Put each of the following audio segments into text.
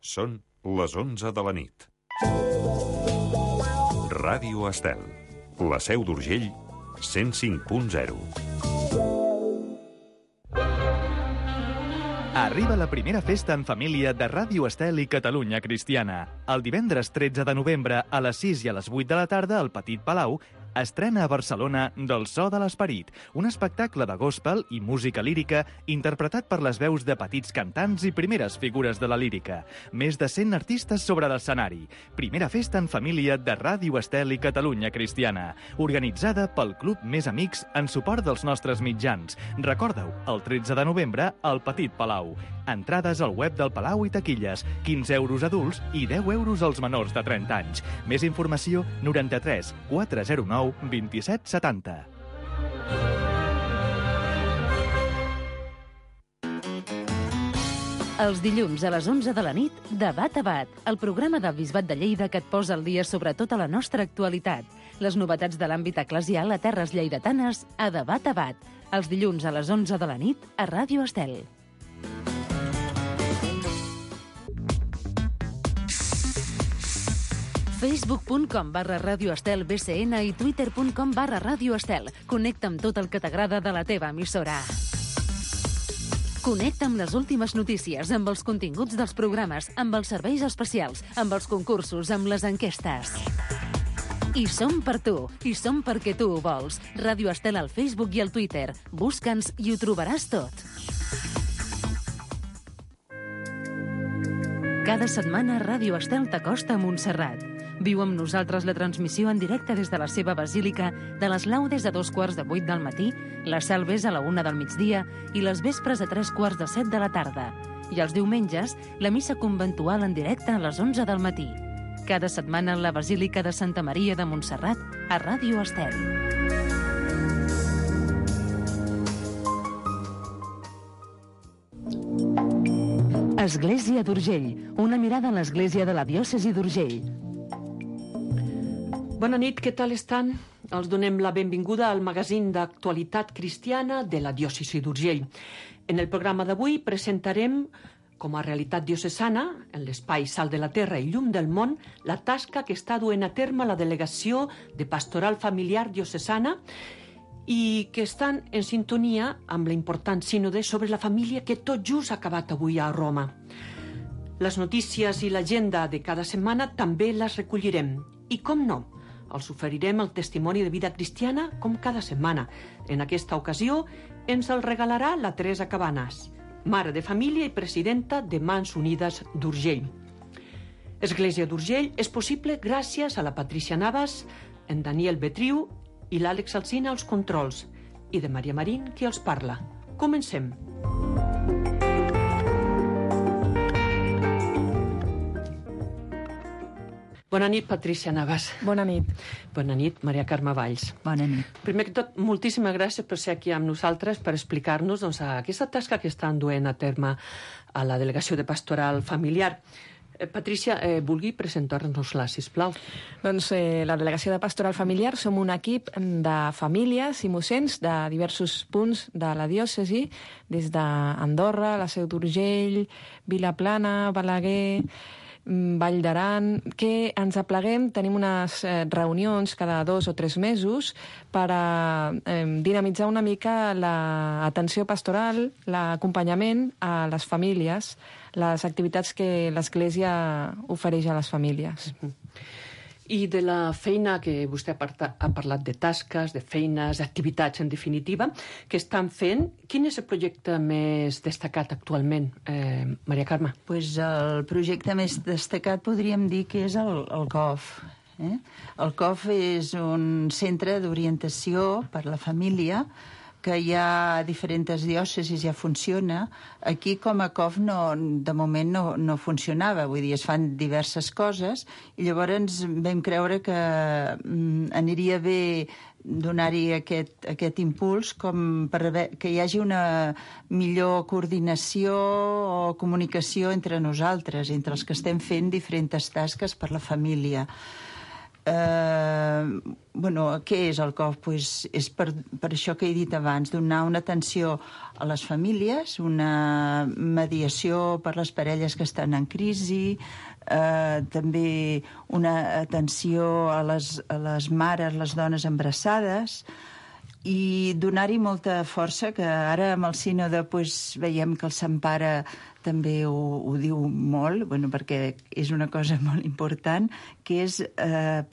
Són les 11 de la nit. Ràdio Estel, la Seu d'Urgell, 105.0. Arriba la primera festa en família de Ràdio Estel i Catalunya Cristiana. El divendres 13 de novembre a les 6 i a les 8 de la tarda al Petit Palau estrena a Barcelona Del so de l'esperit, un espectacle de gospel i música lírica interpretat per les veus de petits cantants i primeres figures de la lírica. Més de 100 artistes sobre l'escenari. Primera festa en família de Ràdio Estel i Catalunya Cristiana, organitzada pel Club Més Amics en suport dels nostres mitjans. Recordeu, el 13 de novembre al Petit Palau. Entrades al web del Palau i taquilles, 15 euros adults i 10 euros als menors de 30 anys. Més informació, 93 409 2770. Els dilluns a les 11 de la nit, Debat a Bat, el programa del Bisbat de Lleida que et posa al dia sobre tota la nostra actualitat. Les novetats de l'àmbit eclesial a terres lleidatanes a Debat a Bat. Els dilluns a les 11 de la nit a Ràdio Estel. facebook.com/radioestelbcn i twitter.com/radioestel. Connecta amb tot el que t'agrada de la teva emissora. Connecta amb les últimes notícies, amb els continguts dels programes, amb els serveis especials, amb els concursos, amb les enquestes. I som per tu, i som perquè tu ho vols. Ràdio Estel al Facebook i al Twitter. Busca'ns i ho trobaràs tot. Cada setmana Ràdio Estel t'acosta a Montserrat. Viu amb nosaltres la transmissió en directe des de la seva basílica, de les laudes a 7:15 del matí, les salves a la 1 del migdia i les vespres a 7:45 de la tarda. I els diumenges, la missa conventual en directe a les 11 del matí. Cada setmana la Basílica de Santa Maria de Montserrat a Ràdio Estel. Església d'Urgell, una mirada a l'església de la diòcesi d'Urgell. Bona nit, què tal estan? Els donem la benvinguda al magazín d'actualitat cristiana de la diòcesi d'Urgell. En el programa d'avui presentarem, com a realitat diocesana, en l'espai Sal de la Terra i Llum del Món, la tasca que està duent a terme la Delegació de Pastoral Familiar Diocesana i que estan en sintonia amb l'important sínode sobre la família que tot just ha acabat avui a Roma. Les notícies i l'agenda de cada setmana també les recollirem. I com no, els oferirem el testimoni de vida cristiana com cada setmana. En aquesta ocasió ens el regalarà la Teresa Cabanas, mare de família i presidenta de Mans Unides d'Urgell. Església d'Urgell és possible gràcies a la Patricia Navas, en Daniel Betriu i l'Àlex Alsina als controls, i de Maria Marín qui els parla. Comencem. Bona nit, Patricia Navas. Bona nit. Bona nit, Maria Carme Valls. Bona nit. Primer que tot, moltíssimes gràcies per ser aquí amb nosaltres per explicar-nos aquesta tasca que estan duent a terme a la Delegació de Pastoral Familiar. Patricia, vulgui presentar-nos-la, sisplau. Doncs la Delegació de Pastoral Familiar som un equip de famílies i mossens de diversos punts de la diòcesi, des d'Andorra, la Seu d'Urgell, Vilaplana, Balaguer, Vall d'Aran, que ens apleguem, tenim unes reunions cada 2 o 3 mesos per a dinamitzar una mica l'atenció pastoral, l'acompanyament a les famílies, les activitats que l'Església ofereix a les famílies. I de la feina que vostè ha parlat de tasques, de feines, d'activitats, en definitiva, que estan fent, quin és el projecte més destacat actualment, Maria Carme? Pues el projecte més destacat podríem dir que és el COF. El COF és un centre d'orientació per a la família que ja a diferents diòcesis ja funciona. Aquí com a COF de moment no funcionava, vull dir, es fan diverses coses i llavors vam creure que aniria bé donar-hi aquest impuls com per que hi hagi una millor coordinació o comunicació entre nosaltres, entre els que estem fent diferents tasques per la família. Què és el COF? Pues és per això que he dit abans, donar una atenció a les famílies, una mediació per les parelles que estan en crisi, també una atenció a les mares, les dones embarassades, i donar-hi molta força, que ara amb el sínode veiem que el Sant Pare també ho diu molt, perquè és una cosa molt important, que és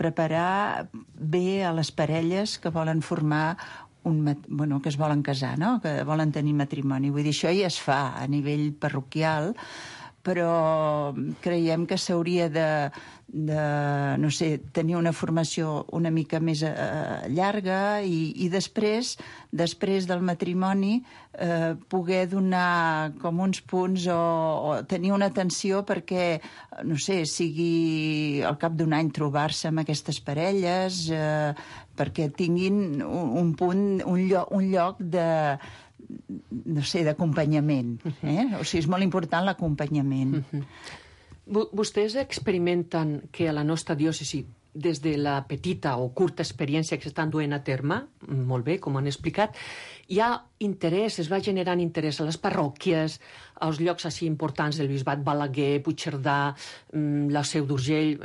preparar bé a les parelles que volen formar que es volen casar, no? Que volen tenir matrimoni. Vull dir, això ja es fa a nivell parroquial, però creiem que s'hauria de tenir una formació una mica més llarga i després del matrimoni poder donar com uns punts o tenir una atenció perquè, sigui al cap d'un any trobar-se amb aquestes parelles, perquè tinguin un punt, un lloc d'acompanyament. O sigui, és molt important l'acompanyament. Vostès experimenten que a la nostra diòcesi, des de la petita o curta experiència que s'estan duent a terme, molt bé, com han explicat, hi ha interès, es va generant interès a les parròquies, als llocs així importants del bisbat, Balaguer, Puigcerdà, la Seu d'Urgell,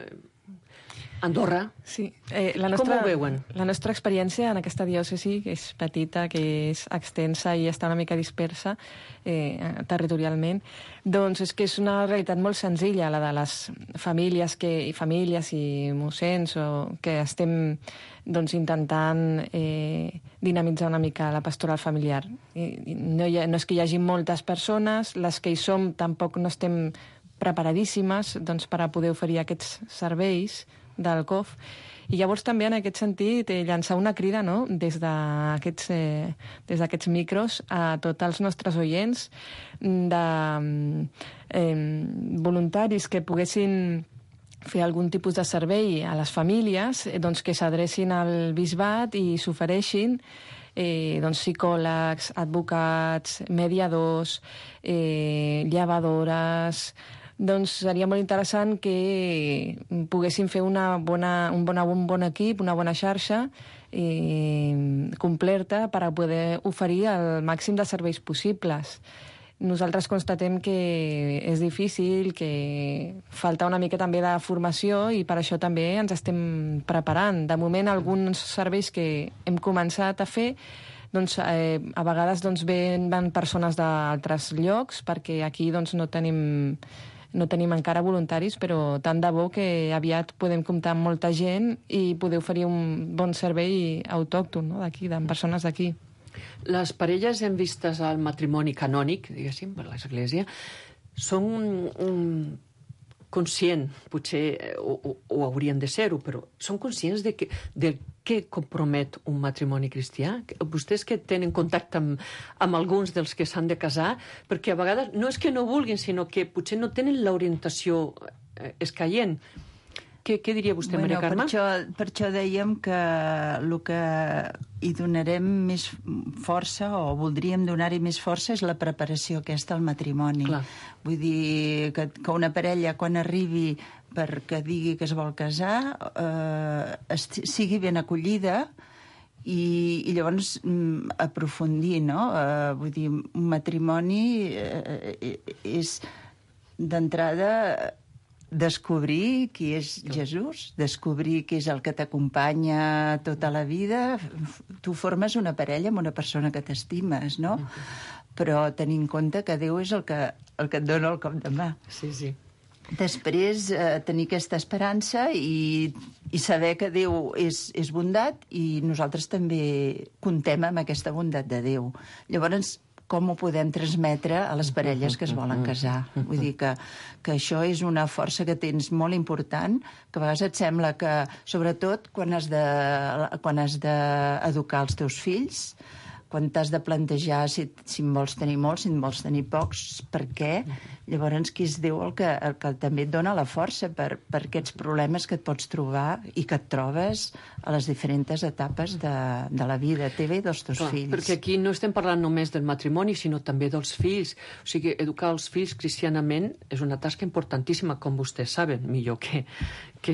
Andorra. Sí. Com ho veuen? La nostra experiència en aquesta diòcesi, que és petita, que és extensa i està una mica dispersa territorialment, doncs és que és una realitat molt senzilla, la de les famílies i mossens que estem intentant dinamitzar una mica la pastoral familiar. No és que hi hagi moltes persones, les que hi som tampoc no estem preparadíssimes per a poder oferir aquests serveis del COF, i llavors també en aquest sentit llançar una crida, no?, des d'aquests micros a tots els nostres oients, de voluntaris que poguessin fer algun tipus de servei a les famílies, que s'adrecin al bisbat i s'ofereixin psicòlegs, advocats, mediadors, llevadores. Seria molt interessant que poguéssim fer un bon equip, una bona xarxa completa per a poder oferir el màxim de serveis possibles. Nosaltres constatem que és difícil, que falta una mica també de formació i per això també ens estem preparant. De moment, alguns serveis que hem començat a fer a vegades van persones d'altres llocs, perquè aquí no tenim encara voluntaris, però tant de bo que aviat podem comptar amb molta gent i poder oferir un bon servei autòcton, no?, d'aquí, de persones d'aquí. Les parelles en vistes al matrimoni canònic, diguéssim, per l'Església, són conscients, potser ho haurien de ser-ho, però són conscients de què compromet un matrimoni cristià? Vostès que tenen contacte amb alguns dels que s'han de casar, perquè a vegades no és que no vulguin, sinó que potser no tenen l'orientació escaient. Què diria vostè, Maria Carme? Per això dèiem que el que hi donarem més força, o voldríem donar-hi més força, és la preparació aquesta al matrimoni. Clar. Vull dir que una parella, quan arribi perquè digui que es vol casar, sigui ben acollida i llavors aprofundir, no? Vull dir, un matrimoni és d'entrada descobrir qui és Jesús, descobrir qui és el que t'acompanya tota la vida. Tu formes una parella amb una persona que t'estimes, no? Però tenir en compte que Déu és el que et dona el cop de mà. Sí. Després, tenir aquesta esperança i saber que Déu és bondat i nosaltres també comptem amb aquesta bondat de Déu. Llavors, com ho podem transmetre a les parelles que es volen casar? Vull dir que això és una força que tens molt important, que a vegades et sembla que, sobretot, quan has d'educar els teus fills, quan t'has de plantejar si en vols tenir molts, si en vols tenir pocs, per què? Llavors, qui és Déu el que també et dona la força per aquests problemes que et pots trobar i que et trobes a les diferents etapes de la vida teva i dels teus fills. Perquè aquí no estem parlant només del matrimoni, sinó també dels fills. O sigui, educar els fills cristianament és una tasca importantíssima, com vostès saben, millor que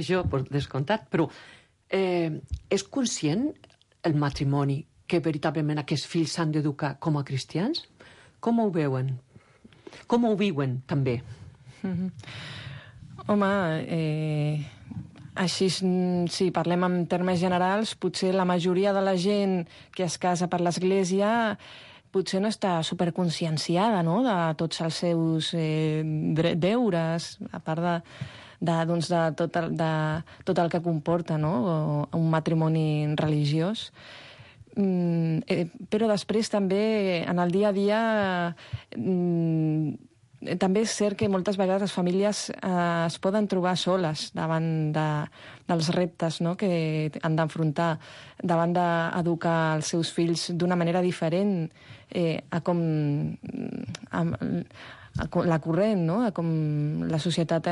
jo, per descomptat, però És conscient el matrimoni que veritablement aquests fills s'han d'educar com a cristians? Com ho veuen? Com ho viuen, també? Home, així, si parlem en termes generals, potser la majoria de la gent que es casa per l'Església potser no està superconscienciada, no?, de tots els seus deures, a part de tot el que comporta, no?, un matrimoni religiós. Però després també, en el dia a dia, també és cert que moltes vegades les famílies es poden trobar soles davant dels reptes, no?, que han d'enfrontar, davant d'educar els seus fills d'una manera diferent a com la corrent, no?, a com la societat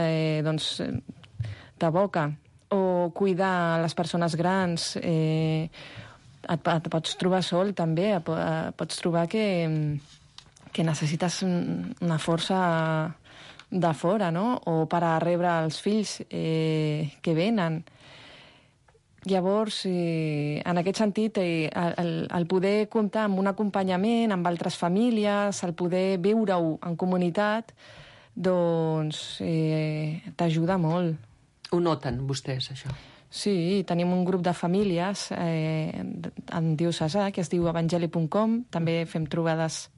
t'aboca. O cuidar les persones grans. Et pots trobar sol, també. Pots trobar que necessites una força de fora, no?, o per a rebre els fills que venen. Llavors, en aquest sentit, el poder comptar amb un acompanyament, amb altres famílies, el poder viure-ho en comunitat, doncs t'ajuda molt. Ho noten vostès, això? Sí, tenim un grup de famílies en diocesà que es diu evangeli.com, també fem trobades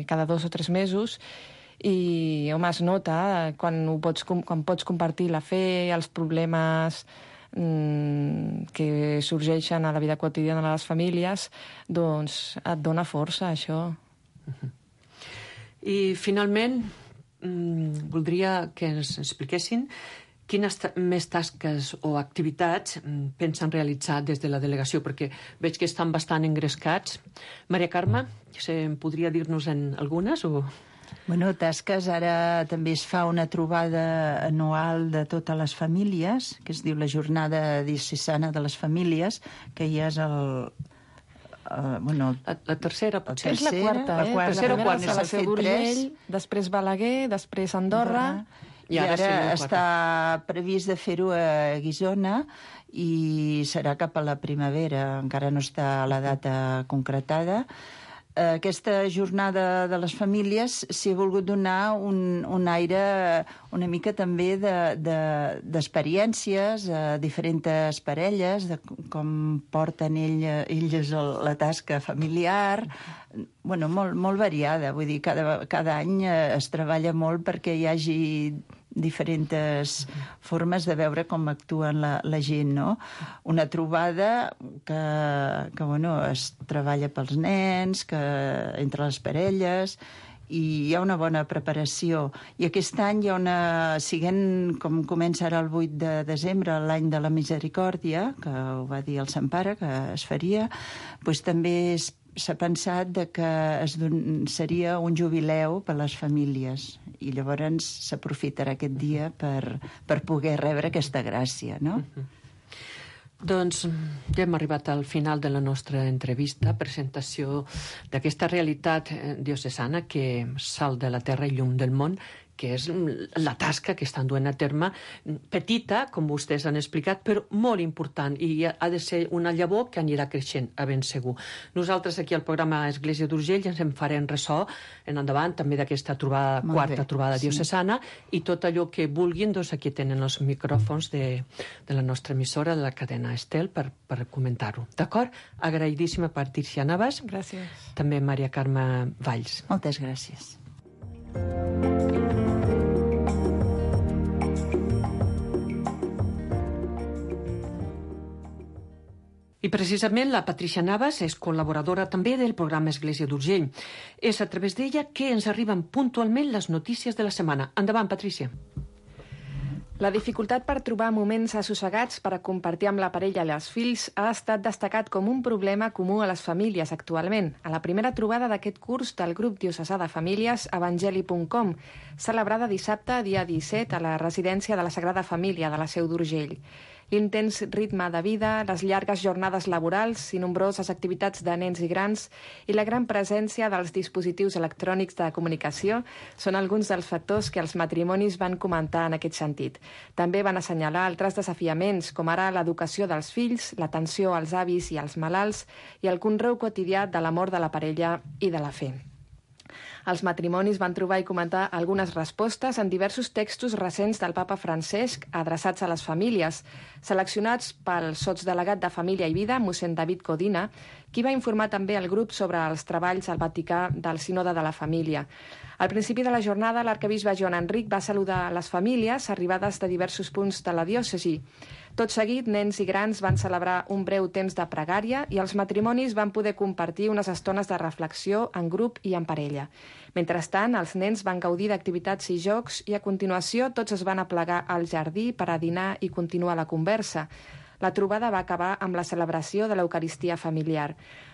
cada 2 o 3 mesos i, home, es nota quan pots compartir la fe, els problemes que sorgeixen a la vida quotidiana de les famílies, doncs et dona força, això. I, finalment, voldria que ens expliquessin quines més tasques o activitats pensen realitzar des de la delegació, perquè veig que estan bastant engrescats. Maria Carme, podria dir-nos-en algunes? Bueno, tasques, ara també es fa una trobada anual de totes les famílies, que es diu la Jornada Diocesana de les Famílies, que ja és la tercera, potser. És la quarta, la tercera o quarta, quarta. La Seu d'Urgell, després Balaguer, després Andorra. I ara està previst de fer-ho a Guissona i serà cap a la primavera, encara no està la data concretada. Aquesta jornada de les famílies s'hi ha volgut donar un aire una mica també d'experiències a diferents parelles, de com porten elles la tasca familiar, molt variada. Vull dir, cada any es treballa molt perquè hi hagi diferents formes de veure com actuen la gent, no? Una trobada que es treballa pels nens, que entre les parelles, i hi ha una bona preparació. I aquest any hi ha com comença ara el 8 de desembre, l'any de la Misericòrdia, que ho va dir el Sant Pare, que es faria, doncs també s'ha pensat que seria un jubileu per a les famílies i llavors s'aprofitarà aquest dia per poder rebre aquesta gràcia, no? Doncs ja hem arribat al final de la nostra entrevista, presentació d'aquesta realitat diocesana que salt de la terra i llum del món, que és la tasca que estan duent a terme, petita, com vostès han explicat, però molt important, i ha de ser una llavor que anirà creixent, a ben segur. Nosaltres aquí al programa Església d'Urgell ens en farem ressò en endavant també d'aquesta quarta trobada diocesana, i tot allò que vulguin, doncs aquí tenen els micròfons de la nostra emissora, de la cadena Estel, per comentar-ho. D'acord? Agraïdíssima Patricia Navas. Gràcies. També Maria Carme Valls. Moltes gràcies. I precisament la Patricia Navas és col·laboradora també del programa Església d'Urgell. És a través d'ella que ens arriben puntualment les notícies de la setmana. Endavant, Patricia. La dificultat per trobar moments assossegats per a compartir amb la parella i els fills ha estat destacat com un problema comú a les famílies actualment, a la primera trobada d'aquest curs del grup diocesà de famílies evangeli.com, celebrada dissabte, dia 17, a la residència de la Sagrada Família de la Seu d'Urgell. l'intens ritme de vida, les llargues jornades laborals i nombroses activitats de nens i grans i la gran presència dels dispositius electrònics de comunicació són alguns dels factors que els matrimonis van comentar en aquest sentit. També van assenyalar altres desafiaments, com ara l'educació dels fills, l'atenció als avis i als malalts i el conreu quotidià de l'amor de la parella i de la fe. Els matrimonis van trobar i comentar algunes respostes en diversos textos recents del papa Francesc adreçats a les famílies, seleccionats pel sotsdelegat de Família i Vida, mossèn David Codina, qui va informar també el grup sobre els treballs al Vaticà del Sínode de la Família. Al principi de la jornada, l'arquebisbe Joan Enric va saludar les famílies arribades de diversos punts de la diòcesi. Tot seguit, nens i grans van celebrar un breu temps de pregària i els matrimonis van poder compartir unes estones de reflexió en grup i en parella. Mentrestant, els nens van gaudir d'activitats i jocs i a continuació tots es van aplegar al jardí per a dinar i continuar la conversa. La trobada va acabar amb la celebració de l'Eucaristia familiar.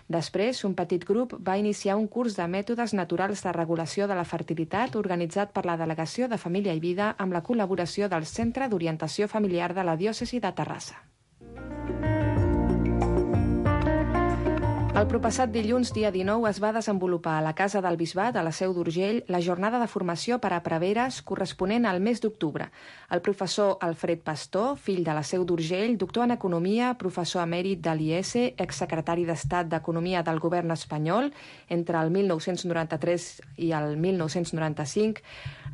Després, un petit grup va iniciar un curs de mètodes naturals de regulació de la fertilitat organitzat per la Delegació de Família i Vida amb la col·laboració del Centre d'Orientació Familiar de la Diòcesi de Terrassa. El proppassat dilluns, dia 19, es va desenvolupar a la Casa del Bisbat, a la Seu d'Urgell, la jornada de formació per a preveres corresponent al mes d'octubre. El professor Alfred Pastor, fill de la Seu d'Urgell, doctor en Economia, professor emèrit de l'IES, exsecretari d'Estat d'Economia del govern espanyol entre el 1993 i el 1995,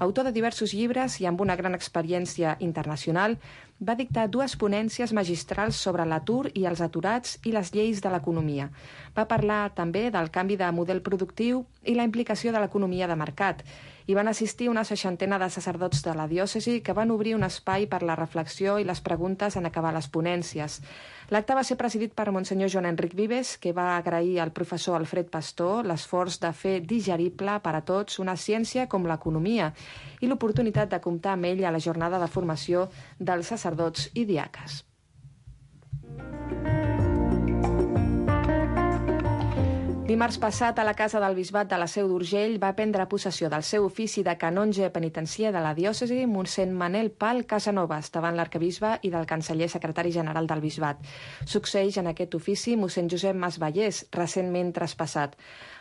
autor de diversos llibres i amb una gran experiència internacional, va dictar 2 ponències magistrals sobre l'atur i els aturats i les lleis de l'economia. Va parlar també del canvi de model productiu i la implicació de l'economia de mercat. Hi van assistir una 60 de sacerdots de la diòcesi que van obrir un espai per la reflexió i les preguntes en acabar les ponències. L'acte va ser presidit per Monsenyor Joan Enric Vives, que va agrair al professor Alfred Pastor l'esforç de fer digerible per a tots una ciència com l'economia i l'oportunitat de comptar amb ell a la jornada de formació dels sacerdots i diaques. Dimarts passat, a la Casa del Bisbat de la Seu d'Urgell, va prendre possessió del seu ofici de canonge penitencier de la diòcesi mossèn Manel Pal Casanovas, davant l'arquebisbe i del canceller secretari general del bisbat. Succeeix en aquest ofici mossèn Josep Mas Vallès, recentment traspassat.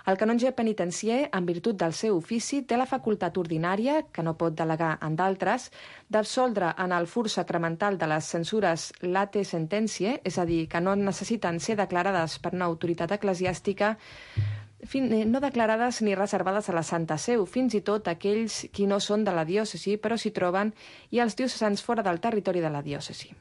El canonge penitencier, en virtut del seu ofici, té la facultat ordinària, que no pot delegar en d'altres, d'absoldre en el fur sacramental de les censures late sententiae, és a dir, que no necessiten ser declarades per una autoritat eclesiàstica, no declarades ni reservades a la Santa Seu, fins i tot aquells qui no són de la diòcesi però s'hi troben i els diocesans fora del territori de la diòcesi.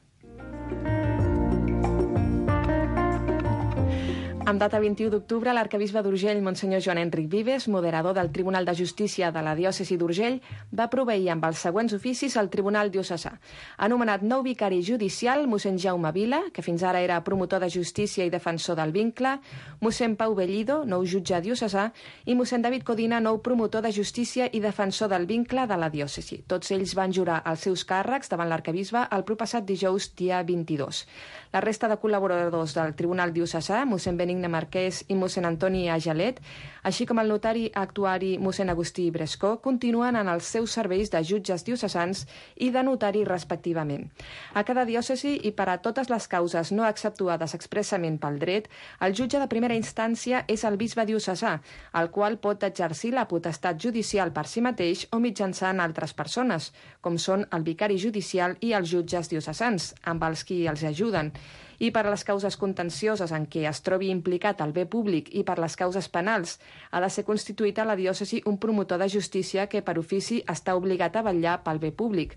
Amb data 21 d'octubre, l'arquebisbe d'Urgell, Monsenyor Joan Enric Vives, moderador del Tribunal de Justícia de la Diòcesi d'Urgell, va proveir amb els següents oficis al Tribunal Diocesà. Ha nomenat nou vicari judicial, mossèn Jaume Vila, que fins ara era promotor de justícia i defensor del vincle, mossèn Pau Bellido, nou jutge diocesà, i mossèn David Codina, nou promotor de justícia i defensor del vincle de la diòcesi. Tots ells van jurar els seus càrrecs davant l'arquebisbe el proppassat dijous, dia 22. La resta de col·laboradors del Tribunal Diocesà, mossèn Benigne Marquès i mossèn Antoni Agelet, així com el notari actuari mossèn Agustí Brescó, continuen en els seus serveis de jutges diocesans i de notari respectivament. A cada diòcesi i per a totes les causes no exceptuades expressament pel dret, el jutge de primera instància és el bisbe diocesà, el qual pot exercir la potestat judicial per si mateix o mitjançant altres persones, com són el vicari judicial i els jutges diocesans, amb els qui els ajuden. I per a les causes contencioses en què es trobi implicat el bé públic i per les causes penals, ha de ser constituït a la diòcesi un promotor de justícia que per ofici està obligat a vetllar pel bé públic.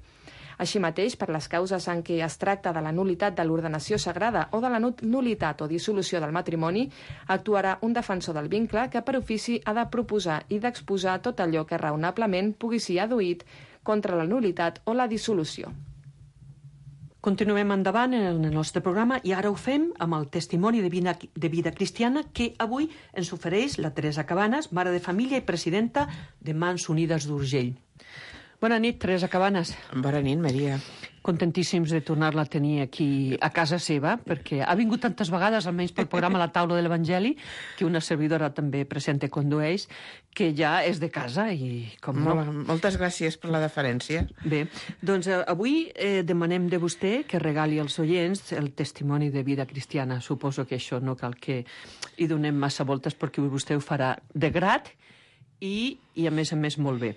Així mateix, per les causes en què es tracta de la nul·litat de l'ordenació sagrada o de la nul·litat o dissolució del matrimoni, actuarà un defensor del vincle que per ofici ha de proposar i d'exposar tot allò que raonablement pugui ser adduït contra la nul·litat o la dissolució. Continuem endavant en el nostre programa i ara ho fem amb el testimoni de vida cristiana que avui ens ofereix la Teresa Cabanes, mare de família i presidenta de Mans Unides d'Urgell. Bona nit, Teresa Cabanes. Bona nit, Maria. Contentíssims de tornar-la a tenir aquí a casa seva, perquè ha vingut tantes vegades, almenys pel programa La Taula de l'Evangeli, que una servidora també presenta i condueix, que ja és de casa i com no. Moltes gràcies per la deferència. Bé, doncs avui demanem de vostè que regali als oients el testimoni de vida cristiana. Suposo que això no cal que hi donem massa voltes perquè vostè ho farà de grat i a més molt bé.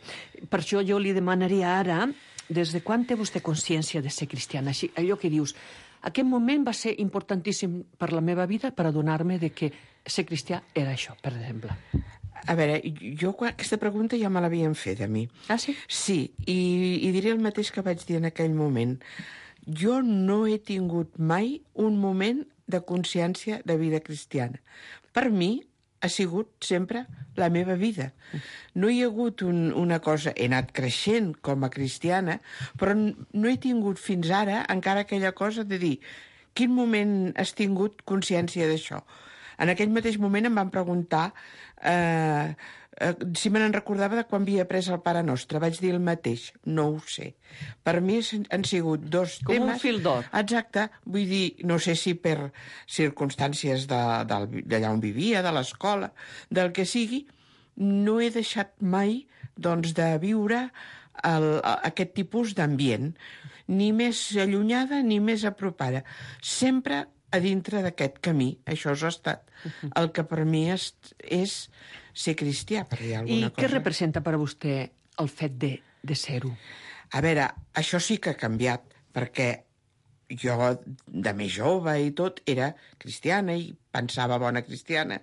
Per això jo li demanaria ara, des de quan té vostè consciència de ser cristiana? Així, allò que dius, aquest moment va ser importantíssim per la meva vida per adonar-me de que ser cristià era això, per exemple. A veure, jo aquesta pregunta ja me l'havien fet a mi. Ah, sí? Sí, i diré el mateix que vaig dir en aquell moment. Jo no he tingut mai un moment de consciència de vida cristiana. Per mi ha sigut sempre la meva vida. No hi ha hagut una cosa... He anat creixent com a cristiana, però no he tingut fins ara encara aquella cosa de dir quin moment has tingut consciència d'això. En aquell mateix moment em van preguntar si me n'en recordava de quan havia après el Pare Nostre. Vaig dir el mateix, no ho sé. Per mi han sigut dos com temes... un fil d'or. Exacte, vull dir, no sé si per circumstàncies d'allà on vivia, de l'escola, del que sigui, no he deixat mai doncs, de viure aquest tipus d'ambient, ni més allunyada ni més apropada. Sempre a dintre d'aquest camí. Això ha estat el que per mi és ser cristià, per dir alguna cosa. I què representa per a vostè el fet de ser-ho? A veure, això sí que ha canviat, perquè jo, de més jove i tot, era cristiana i pensava bona cristiana,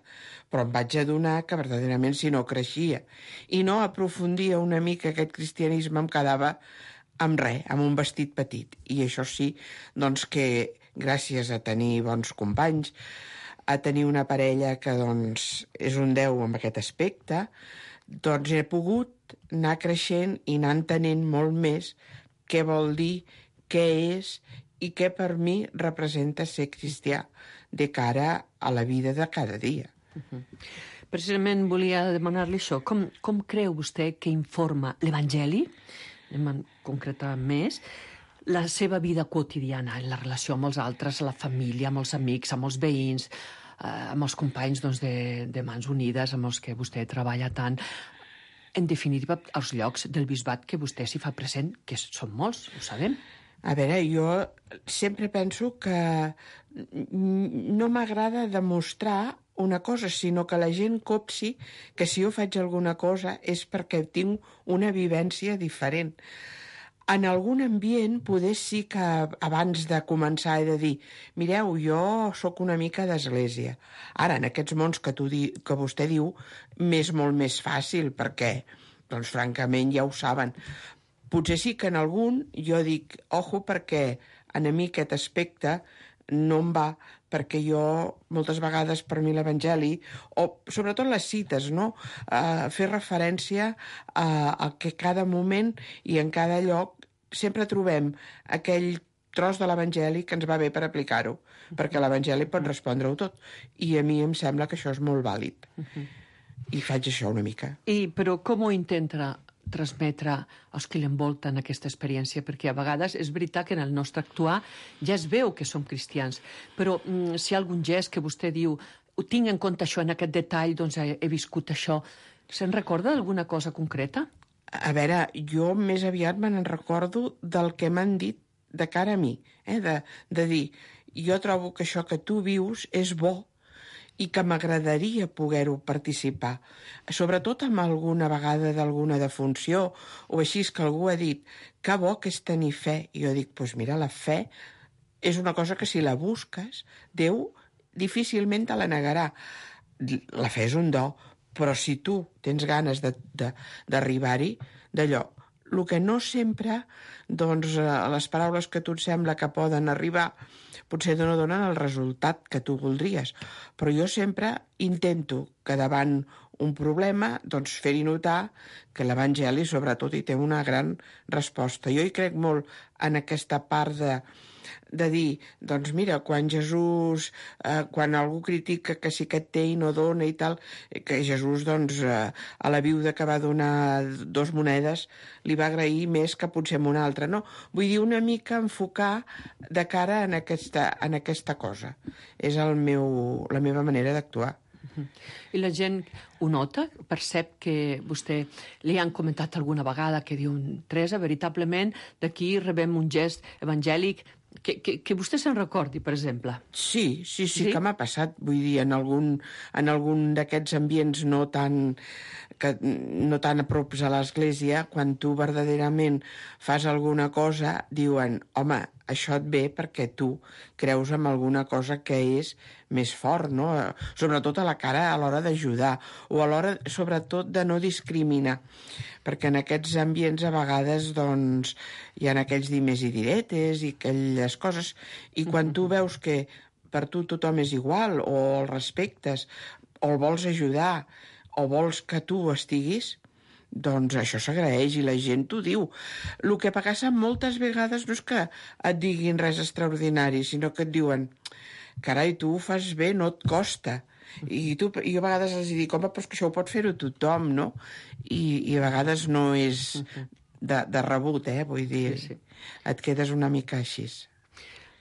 però em vaig adonar que verdaderament si no creixia i no aprofundia una mica aquest cristianisme em quedava amb res, amb un vestit petit. I això sí, doncs que gràcies a tenir bons companys, a tenir una parella que doncs, és un 10 en aquest aspecte, doncs he pogut anar creixent i anar entenent molt més què vol dir, què és i què per mi representa ser cristià de cara a la vida de cada dia. Precisament volia demanar-li això. Com creu vostè que informa l'Evangeli, anem a concretar més, la seva vida quotidiana, en la relació amb els altres, la família, amb els amics, amb els veïns, amb els companys doncs, de Mans Unides, amb els que vostè treballa tant. En definitiva, els llocs del bisbat que vostè s'hi fa present, que són molts, ho sabem. A veure, jo sempre penso que no m'agrada demostrar una cosa, sinó que la gent copsi que si jo faig alguna cosa és perquè tinc una vivència diferent. En algun ambient, poder sí que abans de començar he de dir mireu, jo sóc una mica d'església. Ara, en aquests mons que vostè diu, m'és molt més fàcil, perquè, doncs, francament, ja ho saben. Potser sí que en algun jo dic, ojo, perquè a mi aquest aspecte no em va, perquè jo, moltes vegades per mi l'Evangeli, o sobretot les cites, no? Fer referència a que cada moment i en cada lloc sempre trobem aquell tros de l'Evangeli que ens va bé per aplicar-ho, perquè l'Evangeli pot respondre-ho tot. I a mi em sembla que això és molt vàlid. I faig això una mica. Però com ho intenta transmetre als que l'envolten aquesta experiència? Perquè a vegades és veritat que en el nostre actuar ja es veu que som cristians, però si hi ha algun gest que vostè diu ho tinc en compte això, en aquest detall, doncs he viscut això, se'n recorda d'alguna cosa concreta? A veure, jo més aviat me n'en recordo del que m'han dit de cara a mi, de dir, jo trobo que això que tu vius és bo i que m'agradaria poder-ho participar. Sobretot amb alguna vegada d'alguna defunció o així que algú ha dit que bo que és tenir fe. I jo dic, doncs mira, la fe és una cosa que si la busques, Déu difícilment te la negarà. La fe és un do, però si tu tens ganes d'arribar-hi, d'allò, el que no sempre, doncs, les paraules que a tu et sembla que poden arribar, potser no donen el resultat que tu voldries. Però jo sempre intento que davant un problema, doncs fer-hi notar que l'Evangeli, sobretot, hi té una gran resposta. Jo hi crec molt en aquesta part de dir, doncs mira, quan Jesús, quan algú critica que sí que té i no dona i tal, que Jesús, doncs, a la viuda que va donar 2 monedes li va agrair més que potser amb una altra, no? Vull dir, una mica enfocar de cara en aquesta cosa. És la meva manera d'actuar. I la gent ho nota? Percep que vostè li han comentat alguna vegada que diu, Teresa, veritablement d'aquí rebem un gest evangèlic que vostè se'n recordi, per exemple. Sí, que m'ha passat. Vull dir, en algun d'aquests ambients no tan a props a l'església, quan tu verdaderament fas alguna cosa, diuen, home, això et ve perquè tu creus en alguna cosa que és més fort, no? Sobretot a la cara a l'hora d'ajudar, o a l'hora, sobretot, de no discriminar. Perquè en aquests ambients a vegades, doncs, hi ha aquells dimes i diretes i aquelles coses, i quan tu veus que per tu tothom és igual, o el respectes, o el vols ajudar, o vols que tu estiguis, doncs això s'agraeix i la gent t'ho diu. El que passa moltes vegades no és que et diguin res extraordinari, sinó que et diuen, carai, tu ho fas bé, no et costa. I jo a vegades els dic, home, però és que això ho pot fer-ho tothom, no? I a vegades no és de rebut, vull dir, sí. Et quedes una mica així.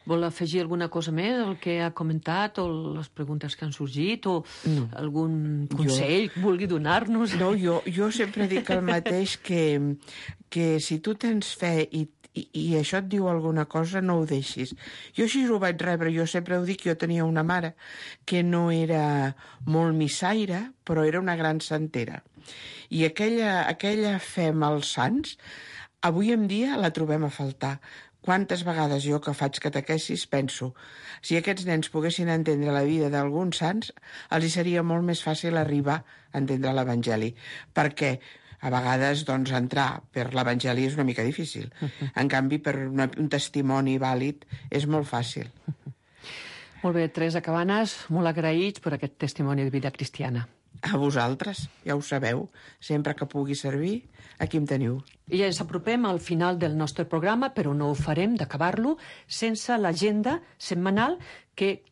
Vol afegir alguna cosa més al que ha comentat o les preguntes que han sorgit o algun consell que vulgui donar-nos? No, jo sempre dic el mateix, que si tu tens fe i això et diu alguna cosa, no ho deixis. Jo així ho vaig rebre, jo sempre ho dic, jo tenia una mare que no era molt missaire, però era una gran santera. I aquella fe amb els sants, avui en dia la trobem a faltar. Quantes vegades jo que faig catequesis penso, si aquests nens poguessin entendre la vida d'alguns sants, els hi seria molt més fàcil arribar a entendre l'Evangeli, perquè a vegades doncs, entrar per l'Evangeli és una mica difícil. En canvi, per un testimoni vàlid és molt fàcil. Molt bé, Teresa Cabanes, molt agraïts per aquest testimoni de vida cristiana. A vosaltres, ja ho sabeu, sempre que pugui servir, aquí em teniu. I ja ens apropem al final del nostre programa, però no ho farem d'acabar-lo sense l'agenda setmanal que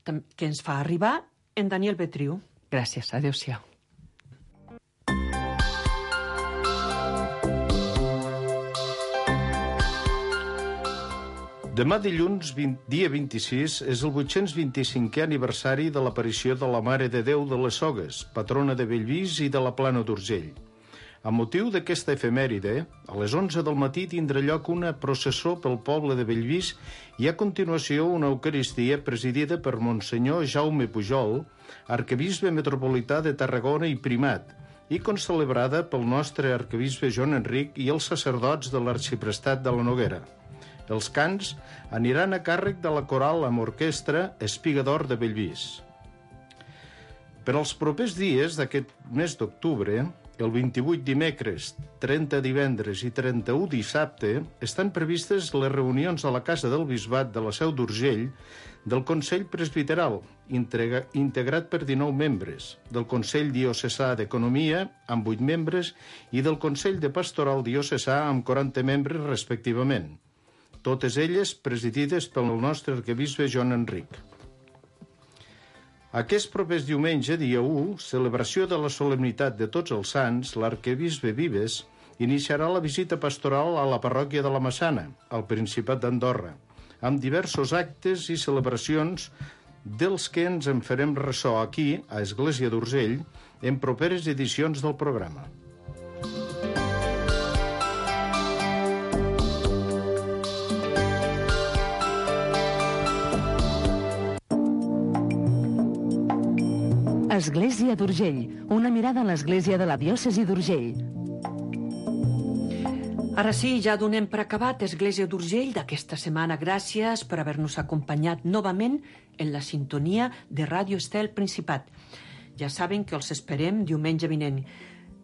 ens fa arribar en Daniel Betriu. Gràcies, adéu-siau. Demà dilluns, dia 26, és el 825è aniversari de l'aparició de la Mare de Déu de les Sogues, patrona de Bellvís i de la Plana d'Urgell. A motiu d'aquesta efemèride, a les 11 del matí tindrà lloc una processó pel poble de Bellvís i a continuació una eucaristia presidida per Monsenyor Jaume Pujol, arquebisbe metropolità de Tarragona i primat, i concelebrada pel nostre arquebisbe Joan Enric i els sacerdots de l'arxiprestat de la Noguera. Els cants aniran a càrrec de la coral amb orquestra Espiga d'Or de Bellvís. Per als propers dies d'aquest mes d'octubre, el 28 dimecres, 30 divendres i 31 dissabte, estan previstes les reunions a la Casa del Bisbat de la Seu d'Urgell del Consell Presbiteral, integrat per 19 membres, del Consell Diocesà d'Economia, amb 8 membres, i del Consell de Pastoral Diocesà, amb 40 membres respectivament. Totes elles presidides pel nostre arquebisbe Joan Enric. Aquest propers diumenge, dia 1, celebració de la solemnitat de Tots els Sants, l'arquebisbe Vives iniciarà la visita pastoral a la parròquia de la Massana, al Principat d'Andorra, amb diversos actes i celebracions dels que ens en farem ressò aquí, a Església d'Urgell, en properes edicions del programa. Església d'Urgell, una mirada a l'Església de la Diòcesi d'Urgell. Ara sí, ja donem per acabat Església d'Urgell d'aquesta setmana. Gràcies per haver-nos acompanyat novament en la sintonia de Ràdio Estel Principat. Ja saben que els esperem diumenge vinent.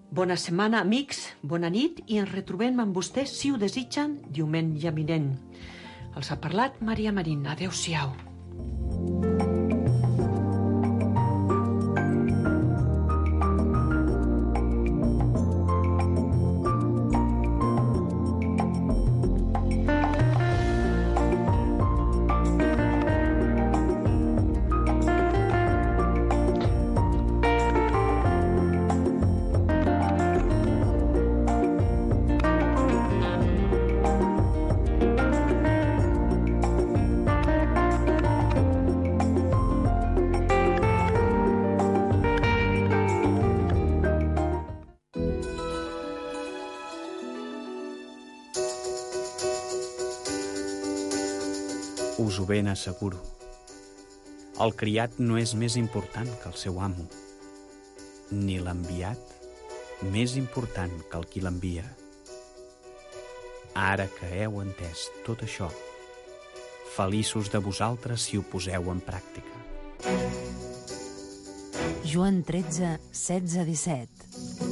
Bona setmana, amics, bona nit, i ens retrobem amb vostès, si ho desitgen, diumenge vinent. Els ha parlat Maria Marín. Adéu-siau. Us ho ben asseguro. El criat no és més important que el seu amo, ni l'enviat més important que el qui l'envia. Ara que heu entès tot això, feliços de vosaltres si ho poseu en pràctica. Joan 13, 16-17.